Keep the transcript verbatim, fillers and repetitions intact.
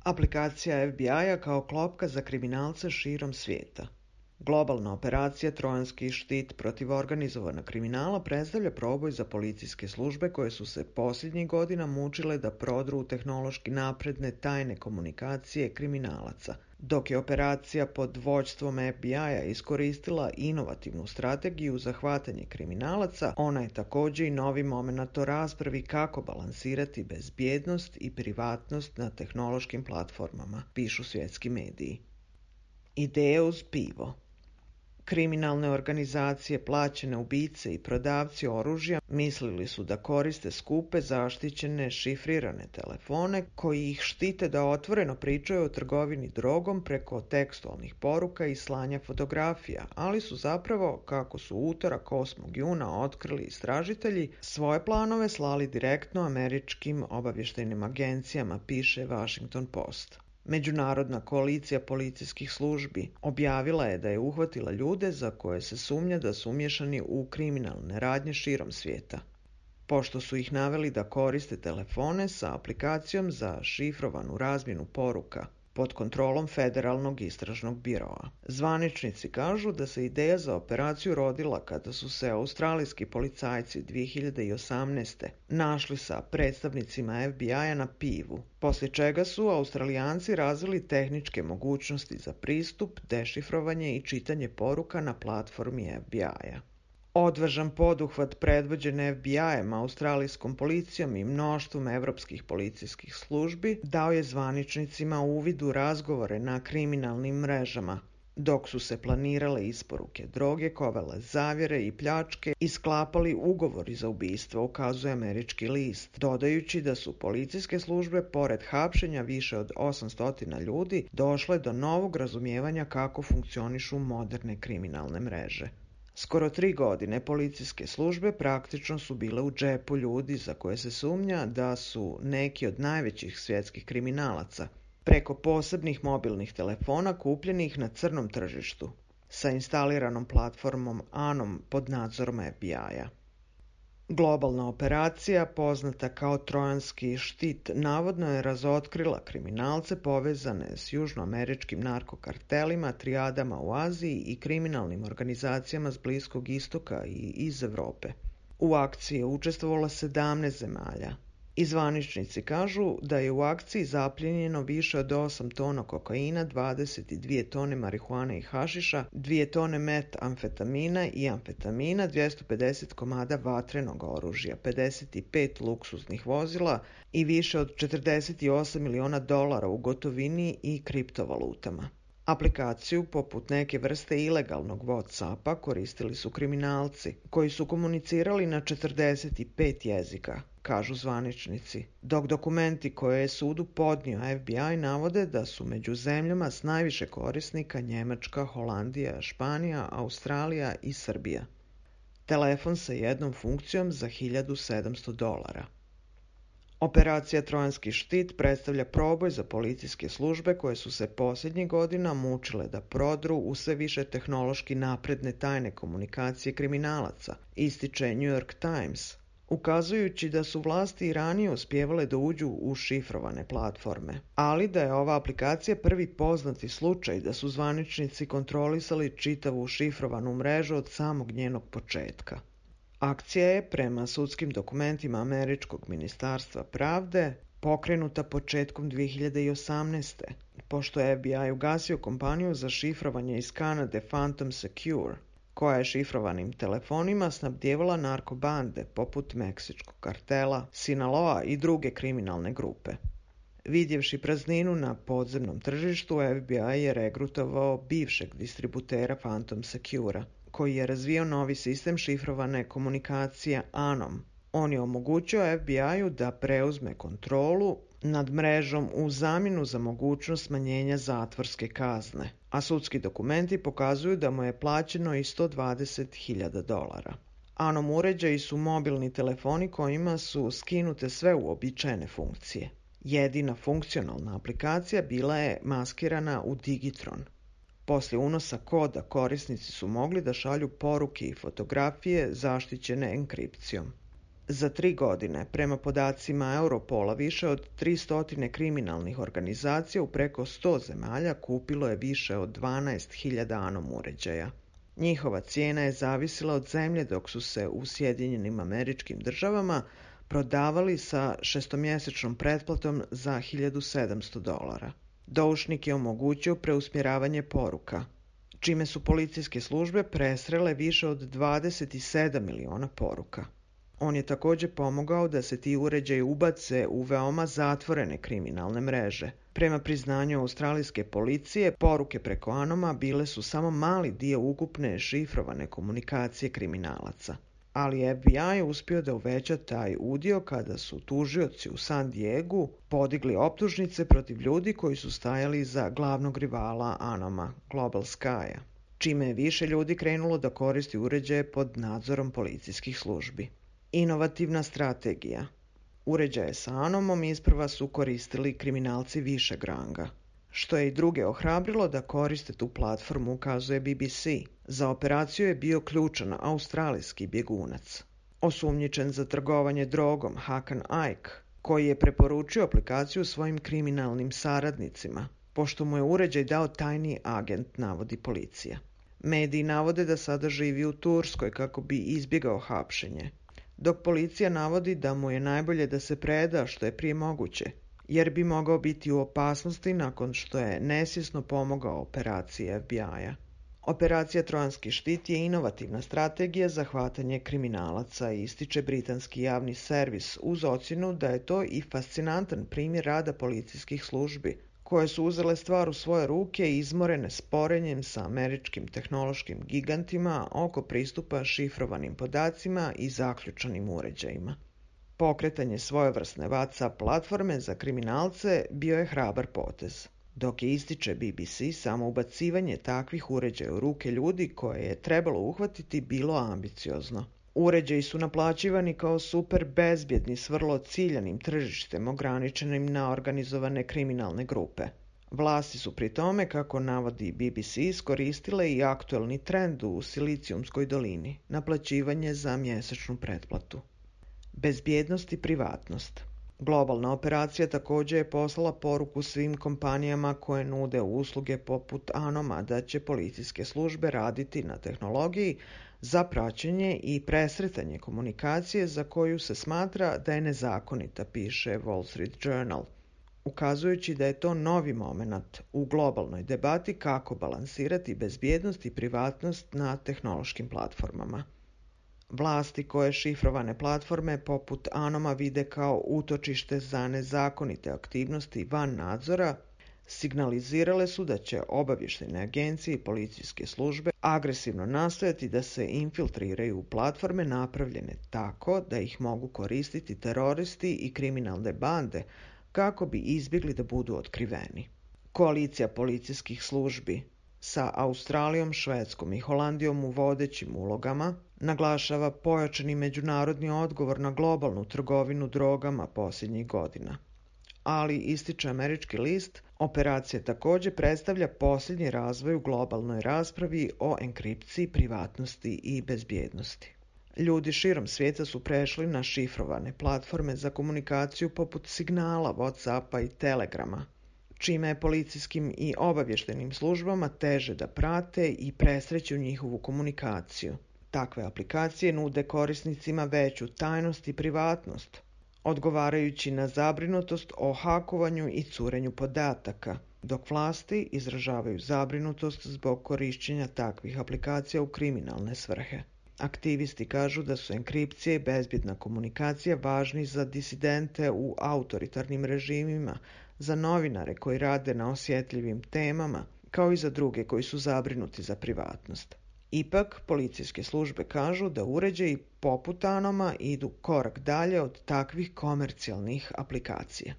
Aplikacija F B I-a kao klopka za kriminalce širom svijeta. Globalna operacija Trojanski štit protiv organizovanog kriminala predstavlja proboj za policijske službe koje su se posljednjih godina mučile da prodru u tehnološki napredne tajne komunikacije kriminalaca. Dok je operacija pod vođstvom F B I-a iskoristila inovativnu strategiju za hvatanje kriminalaca, ona je također i novi momenat o raspravi kako balansirati bezbjednost i privatnost na tehnološkim platformama, pišu svjetski mediji. Ideje uz pivo. Kriminalne organizacije, plaćene ubice i prodavci oružja mislili su da koriste skupe, zaštićene, šifrirane telefone koji ih štite da otvoreno pričaju o trgovini drogom preko tekstualnih poruka i slanja fotografija, ali su zapravo, kako su utorak osmog juna otkrili istražitelji, svoje planove slali direktno američkim obavještajnim agencijama, piše Washington Post. Međunarodna koalicija policijskih službi objavila je da je uhvatila ljude za koje se sumnja da su umješani u kriminalne radnje širom svijeta, pošto su ih naveli da koriste telefone sa aplikacijom za šifrovanu razmjenu poruka pod kontrolom Federalnog istražnog biroa. Zvaničnici kažu da se ideja za operaciju rodila kada su se australijski policajci dvije hiljade osamnaeste. našli sa predstavnicima F B I-a na pivu, poslije čega su Australijanci razvili tehničke mogućnosti za pristup, dešifrovanje i čitanje poruka na platformi F B I-a. Odvažan poduhvat predvođen F B I-em, australijskom policijom i mnoštvom evropskih policijskih službi dao je zvaničnicima uvid u razgovore na kriminalnim mrežama, dok su se planirale isporuke droge, kovale zavjere i pljačke i sklapali ugovori za ubistvo, ukazuje američki list, dodajući da su policijske službe, pored hapšenja više od osamsto ljudi, došle do novog razumijevanja kako funkcionišu moderne kriminalne mreže. Skoro tri godine policijske službe praktično su bile u džepu ljudi za koje se sumnja da su neki od najvećih svjetskih kriminalaca, preko posebnih mobilnih telefona kupljenih na crnom tržištu, sa instaliranom platformom Anom pod nadzorom F B I-a. Globalna operacija, poznata kao Trojanski štit, navodno je razotkrila kriminalce povezane s južnoameričkim narkokartelima, trijadama u Aziji i kriminalnim organizacijama s Bliskog istoka i iz Europe. U akciji je učestvovalo sedamnaest zemalja. I zvaničnici kažu da je u akciji zaplijenjeno više od osam tona kokaina, dvadeset dvije tone marihuane i hašiša, dvije tone metamfetamina i amfetamina, dvjesto pedeset komada vatrenog oružja, pedeset pet luksuznih vozila i više od četrdeset osam miliona dolara u gotovini i kriptovalutama. Aplikaciju, poput neke vrste ilegalnog WhatsAppa, koristili su kriminalci, koji su komunicirali na četrdeset pet jezika, kažu zvaničnici, dok dokumenti koje je sudu podnio F B I navode da su među zemljama s najviše korisnika Njemačka, Holandija, Španija, Australija i Srbija. Telefon sa jednom funkcijom za hiljadu sedamsto dolara. Operacija Trojanski štit predstavlja proboj za policijske službe koje su se posljednjih godina mučile da prodru u sve više tehnološki napredne tajne komunikacije kriminalaca, ističe New York Times, ukazujući da su vlasti i ranije uspijevale da uđu u šifrovane platforme, ali da je ova aplikacija prvi poznati slučaj da su zvaničnici kontrolisali čitavu šifrovanu mrežu od samog njenog početka. Akcija je, prema sudskim dokumentima američkog ministarstva pravde, pokrenuta početkom dvije hiljade osamnaeste. pošto je F B I ugasio kompaniju za šifrovanje iz Kanade Phantom Secure, koja je šifrovanim telefonima snabdjevala narkobande poput Meksičkog kartela, Sinaloa i druge kriminalne grupe. Vidjevši prazninu na podzemnom tržištu, F B I je regrutovao bivšeg distributera Phantom Secura, koji je razvio novi sistem šifrovane komunikacije Anom. On je omogućio F B I-u da preuzme kontrolu nad mrežom u zamjenu za mogućnost smanjenja zatvorske kazne, a sudski dokumenti pokazuju da mu je plaćeno i sto dvadeset hiljada dolara. Anom uređaji su mobilni telefoni kojima su skinute sve uobičajene funkcije. Jedina funkcionalna aplikacija bila je maskirana u Digitron. Poslije unosa koda korisnici su mogli da šalju poruke i fotografije zaštićene enkripcijom. Za tri godine, prema podacima Europola, više od tristo kriminalnih organizacija u preko sto zemalja kupilo je više od dvanaest hiljada Anom uređaja. Njihova cijena je zavisila od zemlje, dok su se u Sjedinjenim Američkim Državama prodavali sa šestomjesečnom pretplatom za hiljadu sedamsto dolara. Doušnik je omogućio preusmjeravanje poruka, čime su policijske službe presrele više od dvadeset sedam miliona poruka. On je također pomogao da se ti uređaji ubace u veoma zatvorene kriminalne mreže. Prema priznanju australijske policije, poruke preko Anoma bile su samo mali dio ukupne šifrovane komunikacije kriminalaca. Ali F B I je uspio da uveća taj udio kada su tužioci u San Diegu podigli optužnice protiv ljudi koji su stajali iza glavnog rivala Anoma, Global Sky-a, čime je više ljudi krenulo da koristi uređaje pod nadzorom policijskih službi. Inovativna strategija. Uređaje sa Anomom isprva su koristili kriminalci višeg ranga, što je i druge ohrabrilo da koriste tu platformu, ukazuje B B C. Za operaciju je bio ključan australijski bjegunac, osumnjičen za trgovanje drogom Hakan Ike, koji je preporučio aplikaciju svojim kriminalnim saradnicima, pošto mu je uređaj dao tajni agent, navodi policija. Mediji navode da sada živi u Turskoj kako bi izbjegao hapšenje, dok policija navodi da mu je najbolje da se preda što je prije moguće, jer bi mogao biti u opasnosti nakon što je nesvjesno pomogao operaciji F B I-a. Operacija Trojanski štit je inovativna strategija za hvatanje kriminalaca, ističe britanski javni servis, uz ocjenu da je to i fascinantan primjer rada policijskih službi, koje su uzele stvar u svoje ruke i izmorene sporenjem sa američkim tehnološkim gigantima oko pristupa šifrovanim podacima i zaključanim uređajima. Pokretanje svojevrsne WhatsApp platforme za kriminalce bio je hrabar potez, dok je, ističe B B C, samo ubacivanje takvih uređaja u ruke ljudi koje je trebalo uhvatiti bilo ambiciozno. Uređaji su naplaćivani kao super bezbjedni s vrlo ciljanim tržištem ograničenim na organizovane kriminalne grupe. Vlasti su pri tome, kako navodi B B C, iskoristile i aktuelni trend u Silicijumskoj dolini, naplaćivanje za mjesečnu pretplatu. Bezbjednost i privatnost. Globalna operacija također je poslala poruku svim kompanijama koje nude usluge poput Anoma da će policijske službe raditi na tehnologiji za praćenje i presretanje komunikacije za koju se smatra da je nezakonita, piše Wall Street Journal, ukazujući da je to novi moment u globalnoj debati kako balansirati bezbjednost i privatnost na tehnološkim platformama. Vlasti koje šifrovane platforme poput Anoma vide kao utočište za nezakonite aktivnosti van nadzora, signalizirale su da će obavještajne agencije i policijske službe agresivno nastojati da se infiltriraju u platforme napravljene tako da ih mogu koristiti teroristi i kriminalne bande kako bi izbjegli da budu otkriveni. Koalicija policijskih službi sa Australijom, Švedskom i Holandijom u vodećim ulogama naglašava pojačani međunarodni odgovor na globalnu trgovinu drogama posljednjih godina. Ali, ističe američki list, operacija također predstavlja posljednji razvoj u globalnoj raspravi o enkripciji, privatnosti i bezbjednosti. Ljudi širom svijeta su prešli na šifrovane platforme za komunikaciju poput Signala, WhatsAppa i Telegrama, čime je policijskim i obavještajnim službama teže da prate i presreću njihovu komunikaciju. Takve aplikacije nude korisnicima veću tajnost i privatnost, odgovarajući na zabrinutost o hakovanju i curenju podataka, dok vlasti izražavaju zabrinutost zbog korištenja takvih aplikacija u kriminalne svrhe. Aktivisti kažu da su enkripcije i bezbjedna komunikacija važni za disidente u autoritarnim režimima, za novinare koji rade na osjetljivim temama, kao i za druge koji su zabrinuti za privatnost. Ipak, policijske službe kažu da uređaji poput Anoma idu korak dalje od takvih komercijalnih aplikacija.